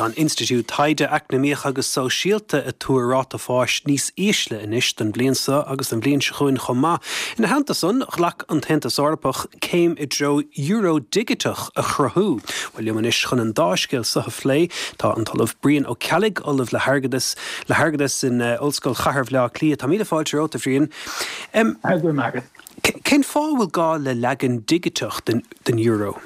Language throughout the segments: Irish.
Bhuel, tá an Institiúid Taighde Eacnamaíoch agus Sóisialta ag tuar ráta fáis níos ísle anois don bhliain seo agus don bhliain seo chugainn chomh maith. Ina theannta san, ghlac an tAontas Eorpach céim i dtreo euro digiteach a chruthú. Bhuel, liom anois chun an dá scéal seo a phlé tá an tOllamh Brian Ó Ceallaigh, Ollamh le hAirgeadas le hAirgeadas in Ollscoil Chathair Bhaile Átha Cliath. Tá míle fáilte romhat, a Bhriain. Go raibh maith agat. Cén fáth a bhfuil gá le leagan digiteach den euro?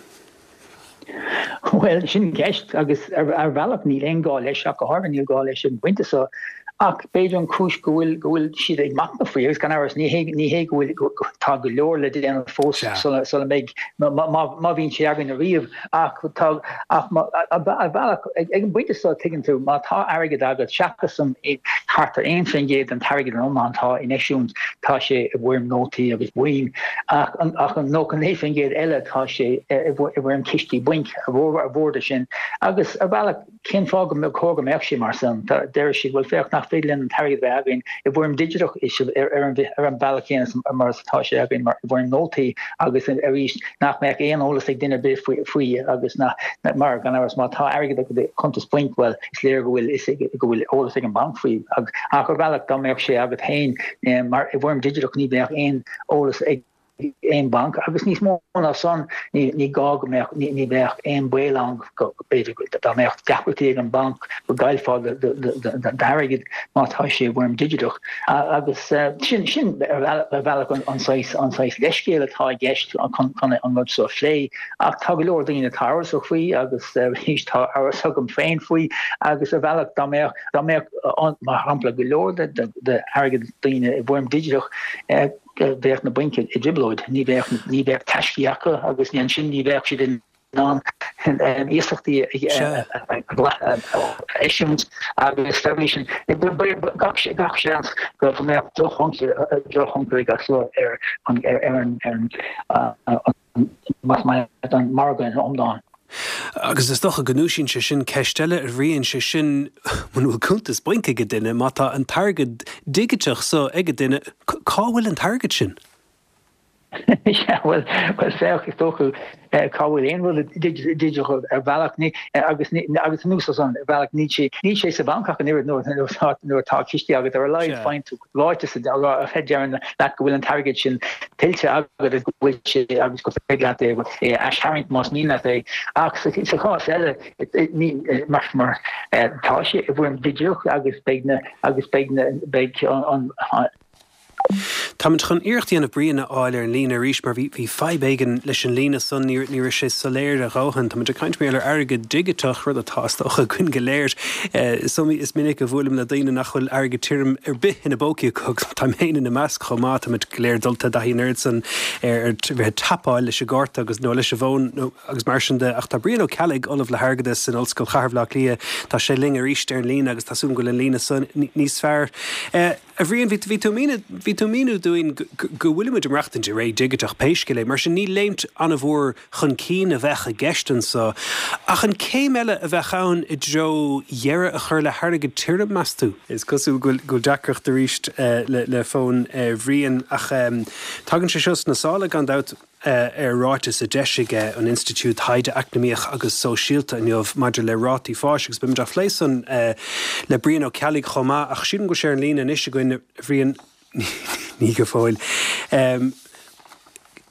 Bhuel, sin ceist, agus ar bhealach níl aon gá leis, ach go háirithe níl gá leis ag an bpointe seo. Ach b'fhéidir an chúis go bhfuil go bhfuil siad ag machnamh faoi, agus gan amhras ní hé ní hé go bhfuil tá go leor le déanamh fós sula sula mbeidh má má bhíonn sé againn ariamh, ach tá ach má ar bhealach ag an bpointe seo tuigeann tú má tá airgead agat seachas an thart ar 1% den t-airgead in iomlán atá in eisiúint tá sé i bhfoirm nótaí agus boinn. Ach an 99% eile tá sé i bhfoirm cistí bainc, a mhór de sin. Agus ar bhealach, cén fáth go chóir go mbeadh sé mar san? Deir siad, bhuel féach, nach féidir linn an t-airgead a bheith againn i bhfoirm digiteach ar an bhealach céanna mar is atá sé againn i bhfoirm nótaí agus arís nach mbeadh aon eolas ag duine ar bith faoi agus nach, mar gan amhras má tá airgead agat i cuntas bainc, bhuel is léir go bhfuil go bhfuil eolas ag an mbanc faoi. Ach ar bhealach dá mbeadh sé agat féin mar i bhfoirm digiteach ní bheadh aon eolas ag aon bhanc agus níos mó ná san ní gá go mbeadh, ní bheadh aon baol ann go b'fhéidir dá mbeadh deacrachtaí ag an mbanc go gcaillfeá d'airgead má tá sé i bhfoirm digiteach. Agus sin sin ar bhealach an saghas an saghas leithscéal atá i gceist chun chun an rud seo a phlé. Ach tá go leor daoine atá amhrasach faoi agus arís tá amhras agam féin faoi agus ar bhealach dá mbeadh dá mbeadh mar shampla go leor d'airgead daoine i bhfoirm digiteach, bheadh na bainc i dtrioblóid, ní bheadh ní bheadh taiscí acu agus ansin ní bheadh siad in ann iasachtaí a eisiúint agus dá bhrí sin gach gach seans go mbeadh drochthionchar ag seo ar an ar an más maith leat an margadh ina iomlán. Agus is dócha go ndúisíonn sé sin ceist eile, a Bhriain, sé sin, muna bhfuil cuntas bainc ag duine, má tá an t-airgead digiteach so ag duine, cá bhfuil an t-airgead sin? Sea, bhuel, bhuel, féach, is dócha, cá bhfuil aon rud digiteach ar bhealach, ní, agus, agus anuas air san, ar bhealach, níl sé, níl sé sa bhanc ach an oiread nuair, nuair atá cistí agat, ar a laghad, faigheann tú ráiteas a deireann leat go bhfuil an t-airgead sin tuillte agat agus go bhfuil sé agus gur féidir leat é a aistarraingt más mian leat é. Ach sa chás eile, mar mar tá sé i bhfoirm digiteach agus beidh na agus beidh na beidh an Táimid chun iarracht a dhéanamh Brian a fháil ar an líne arís mar bhí bhí fadhb éigin leis an líne san, ní ní raibh sé soiléir a dhóthain. Táimid ag caint mar gheall ar airgead digiteach, rud atá is dócha againn go léir. Is iomaí, is minic a bhuailim le daoine nach bhfuil airgead tirim ar bith ina bpócaí acu agus táim féin ina measc chomh maith. Táimid go léir dulta i dtaithí an oiread san ar bheith ag tapáil leis an gcárta agus, nó leis an bhfón nó agus mar sin de. Ach tá Brian Ó Ceallaigh, Ollamh le hAirgeadas in Ollscoil Chathair Bhaile Átha Cliath, tá sé linn arís ar an líne agus tá súil agam go bhfuil an líne san níos fearr. A Bhriain, bhí, bhí tú ag míniú, bhí tú ag míniú dúinn go, go bhfuilimid ag maireachtaint i ré dhigiteach pé scéal é, mar sin ní léimt an-mhór chun cinn a bheadh i gceist anso. Ach an céim eile a bheadh ann i dtreo dheireadh a chur le hairgead tirim, meas tú? Is cosúil go bhfuil deacracht arís le fón Bhriain ach tagann sé seo sna sála gan dabht ar ráiteas a d'eisigh an Institiúid Taighde Eacnamaíoch agus Sóisialta inniu maidir le rátaí fáis agus beimid á phlé san le Brian Ó Ceallaigh chomh maith ach sílim go bhfuil sé ar an líne anois againn, a Bhriain. Ní go fóill.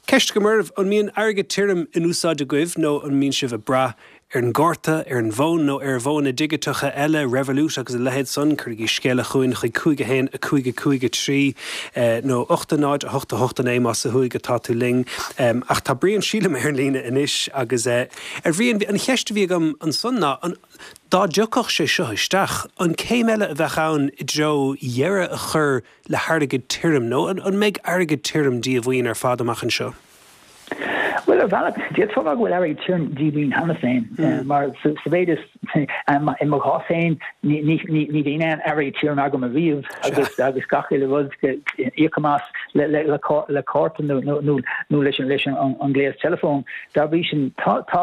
Ceist agam oraibh, an mbíonn airgead tirim in úsáid agaibh nó an mbíonn sibh ag brath ar an gcárta, ar an bhfón nó ar mhodhanna digiteacha eile, Revolut agus a leithéid san? Cuirigí scéala chugainn chuig 5 1 5 5 3 nó 8 0 8 8 9 más ó thuaidh atá tú linn. Ach tá Brian, sílim, ar an líne anois agus, a Bhriain, an cheist a bhí agam ansan ná, an, dá dtiocfadh sé seo isteach, an céim eile a bheadh ann i dtreo dheireadh a chur le hairgead tirim, nó an mbeidh airgead tirim díomhaoin ar fad amach anseo? Bhuel, ar bhealach, d'fhéadfá a rá go bhfuil airgead tirim díomhaoin cheana féin, mar sa mhéid is, i mo chás féin, ní bhíonn aon airgead tirim agam ariamh agus agus gach uile rud, íocaim as le cárta nó leis an ngléas teileafóin. Dá bhrí sin, tá, tá,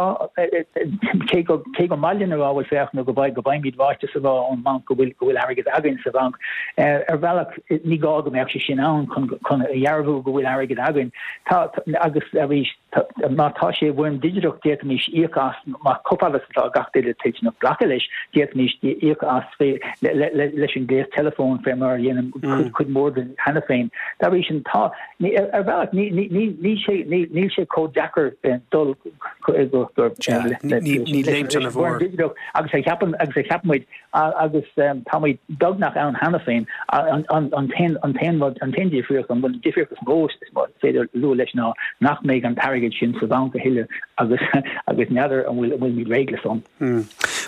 cé go, cé gur maith linn a rá, bhuel féach, nó go bhfaigh, go bhfaighimid ráiteas a rá ón mbanc go bhfuil, go bhfuil airgead againn sa bhanc, ar bhealach ní gá go mbeadh sé sin ann chun, chun a dhearbhú go bhfuil airgead againn. Tá, agus arís, tá, má tá sé i bhfoirm digiteach d'fhéadfaimis íoc as, má, chomh fada is atá gach duine toilteanach. toilteanach glacadh leis, d'fhéadfaimis íoc as fé leis an gléas teileafóin fé mar a dhéanann cuid mhór dínn cheana féin. Dá bhrí sin, tá, ar bhealach, níl sé, níl sé chomh deacair dul go, Ní léimt ana mhór. Agus a cheapann, agus a cheapann muid, agus táimid beagnach ann cheana féin. An t-aon rud, an t-aon difríocht, an difríocht is mó is féidir lua leis ná nach mbeidh an t-airgead sin sa bhanc a thuilleadh agus agus n'fheadar an bhfuil an bhfuilimid réidh le san.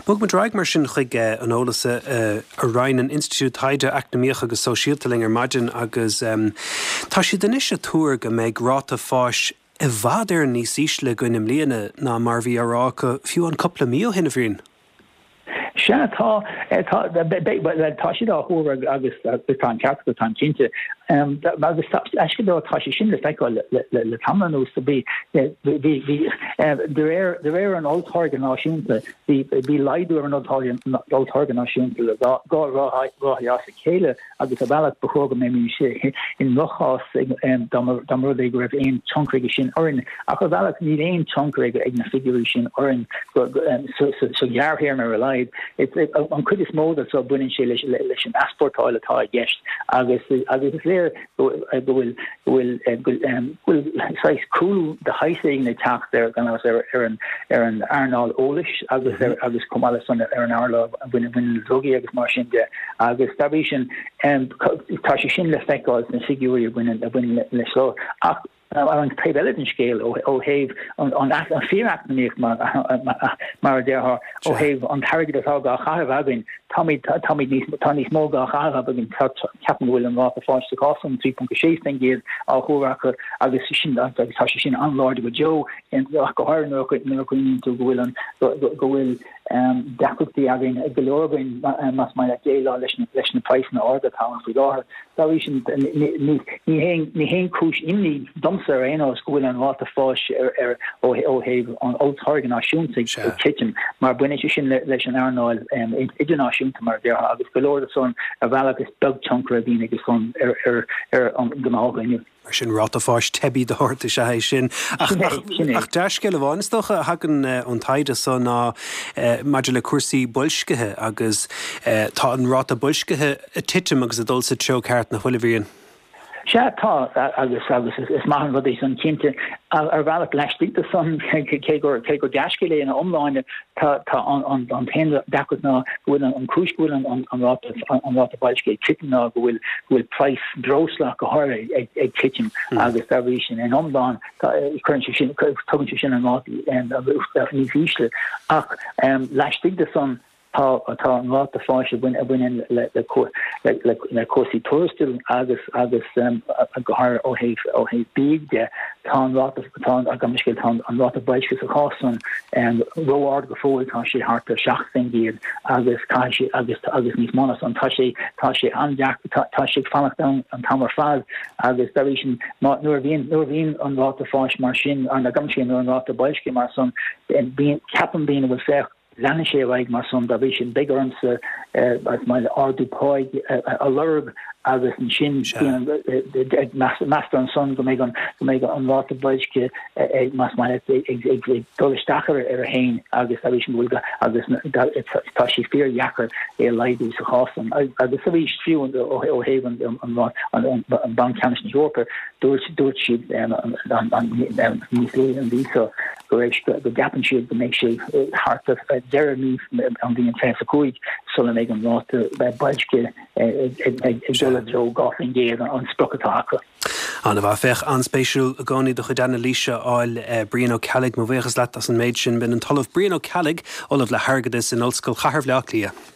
Bogfaidh muid ar aghaidh mar sin chuig an eolas a roinn an Institiúid Taighde Eacnamaíoch agus Sóisialta linn ar maidin agus tá siad anois ag tuar go mbeidh ráta fáis i bhfad Éireann níos ísle againn i mbliana ná mar a bhí á rá acu fiú amháin cúpla mí ó shin, a Bhriain. Sea, tá, tá, bhuel, tá siad á thuar agus tá an ceart acu, táim cinnte. Agus aisce dó, tá sé sin le feiceáil le tamall anuas. Bhí, bhí, bhí, de réir, de réir an olltáirge náisiúnta, bhí, bhí laghdú ar an olltáirge náisiúnta le dhá ráithe as a chéile. agus ar bhealach ba chóir go mbeimis i ndroch-chás dá mba rud é go raibh aon tionchar aige sin orainn. Ach ar bhealach níl aon tionchar ag na figiúirí sin orainn sa ghearrthéarma ar a laghad. An chuid is mó de seo baineann sé leis an easpórtáil atá i gceist agus is léir go bhfuil go bhfuil saghas cúlú de shaghas éigin ag teacht ar gan amhras ar an ar an earnáil eolais agus ar agus chomh maith leis san ar an earnáil a bhaineann le drugaí agus mar sin de agus dá bhrí sin tá sé sin le feiceáil sna figiúirí a bhaineann a bhaineann leis seo ach ar an taobh eile den scéal ó thaobh an fíor-eacnamaíocht mar a déarfá ó thaobh an t-airgead atá á chaitheamh againn táimid táimid níos tá níos mó á chaitheamh againn ceapaim go bhfuil an ráta fáis sa chás san 3.6% á thuar acu agus sin agus tá sé sin an-láidir go deo ach go háirithe nuair a chuimhníonn tú go bhfuil an go bhfuil deacrachtaí againn, go leor againn, más maith leat, déileáil leis na leis na praghsanna arda atá ann faoi láthair. Dá bhrí sin, ní ní haon chúis imní domsa ar aon nós go bhfuil an ráta fáis ar ar ó thaobh an olltáirge náisiúnta ag titim, mar baineann sé sin leis an earnáil idirnáisiúnta, mar a déarfá, agus go leor de san ar bhealach is beag tionchar a bhíonn aige san ar ar ar an ngnáthdhuine. Mar sin, ráta fáis teibí de shórt is ea é sin. Ach dea-scéal amháin, is dócha, a thagann ón taighde so ná maidir le cúrsaí boilscithe agus tá an ráta boilscithe ag titim agus ag dul sa treo ceart, nach bhfuil, a Bhriain? Sea, tá, agus agus is maith an rud é san, cinnte. Ar bhealach laistigh de san, cé gur cé gur dea-scéal é ina iomláine, tá tá an an an t-aon deacracht ná go bhfuil an an cúis go bhfuil an an an ráta an ráta boilscithe ag titim ná go bhfuil go bhfuil praghas breosla go háirithe ag ag titim agus dá bhrí sin in iomlán tá cuireann sé sin tugann sé sin an ráta níos ísle ach laistigh de san tá tá an ráta fáis a bhaineann le le le le cúrsaí tuarastail agus agus go háirithe ó thaobh ó thaobh bídh de tá an ráta tá an gabh mo leithscéal tá an ráta boilscithe sa chás san ró-ard go fóill tá sé thart ar 7% agus caithfidh sé agus agus níos mó ná san tá sé tá sé an-deacair tá tá sé ag fanacht ann an t-am ar fad agus dá bhrí sin má nuair a bhíonn nuair a bhíonn an ráta fáis mar sin nó gabh mo leithscéal nuair an ráta boilscithe mar san bíonn ceapann daoine bhuel féach Leanfaidh sé ar aghaidh mar san, dá bhrí sin beidh ormsa ardú páigh a lorg agus ansin meastar ansan go mbeidh an go mbeidh an ráta boilscithe ag más maith leat ag ag ag dul isteach ar ar a haon agus dá bhrí sin go bhfuil agus tá sé fíordheacair é a laghdú sa chás san agus arís fiú ó thaobh an an an Banc Ceannais na hEorpa dúirt dúirt siad níos luaithe an mhí seo go raibh, go gceapann siad go mbeidh sé thart ar deireadh mí an mhí an 25 sula mbeidh an ráta boilscithe ag dul i dtreo 2% an sprioc atá acu. An-mhaith. Féach, an-spéisiúil i gcónaí do chuid anailíse a fháil, Brian Ó Ceallaigh. Mo bhuíochas leat as an méid sin. B'in an tOllamh Brian Ó Ceallaigh, Ollamh le hAirgeadas in Ollscoil Chathair Bhaile Átha Cliath.